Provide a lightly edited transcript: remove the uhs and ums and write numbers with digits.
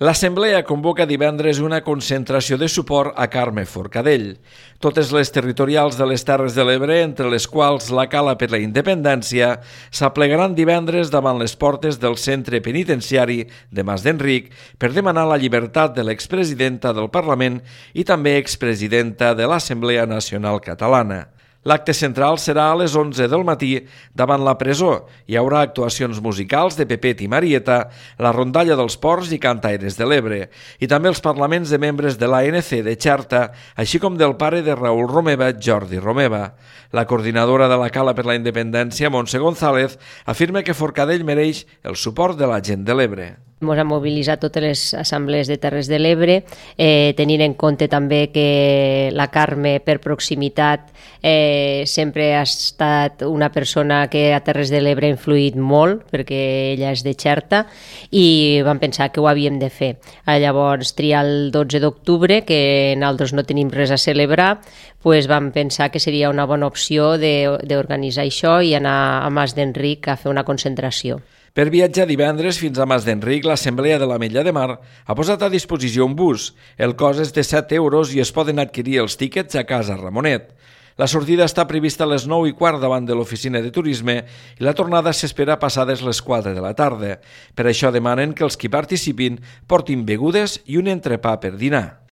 L'Assemblea convoca divendres una concentració de suport a Carme Forcadell. Totes les territorials de les Terres de l'Ebre, entre les quals la Cala per la Independència, s'aplegaran divendres davant les portes del centre penitenciari de Mas d'Enric per demanar la llibertat de l'expresidenta del Parlament i també expresidenta de l'Assemblea Nacional Catalana. L'acte central serà a les 11 del matí davant la presó. Hi haurà actuacions musicals de Pepet i Marieta, la rondalla dels Ports i Cantaires de l'Ebre, i també els parlaments de membres de l'ANC de Xerta, així com del pare de Raül Romeva, Jordi Romeva. La coordinadora de la Cala per la Independència, Montse González, afirma que Forcadell mereix el suport de la gent de l'Ebre. Ens hem mobilitzat totes les assemblees de Terres de l'Ebre, tenint en compte també que la Carme, per proximitat, sempre ha estat una persona que a Terres de l'Ebre ha influït molt, perquè ella és de Xerta, i vam pensar que ho havíem de fer. Llavors, triar el 12 d'octubre, que nosaltres no tenim res a celebrar, doncs vam pensar que seria una bona opció d'organitzar això i anar a Mas d'Enric a fer una concentració. Per viatjar divendres fins a Mas d'Enric, l'Assemblea de l'Ametlla de Mar ha posat a disposició un bus. El cost és de 7 euros i es poden adquirir els tíquets a Casa Ramonet. La sortida està prevista a les 9:15 davant de l'oficina de turisme i la tornada s'espera passades les 4 de la tarda. Per això demanen que els qui participin portin begudes i un entrepà per dinar.